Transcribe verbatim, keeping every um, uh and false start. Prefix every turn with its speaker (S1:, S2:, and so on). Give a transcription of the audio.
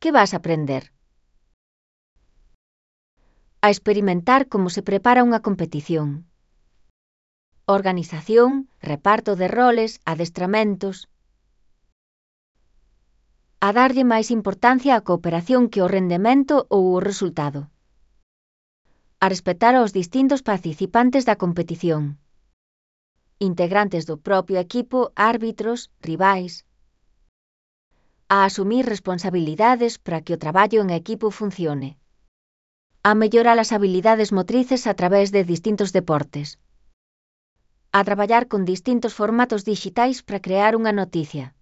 S1: que vas aprender. A experimentar como se prepara unha competición. Organización, reparto de roles, adestramentos. A darlle máis importancia á cooperación que ao rendemento ou ao resultado. A respetar aos distintos participantes da competición. Integrantes do propio equipo, árbitros, rivais. A asumir responsabilidades para que o traballo en equipo funcione. A mellorar as habilidades motrices a través de distintos deportes. A traballar con distintos formatos dixitais para crear unha noticia.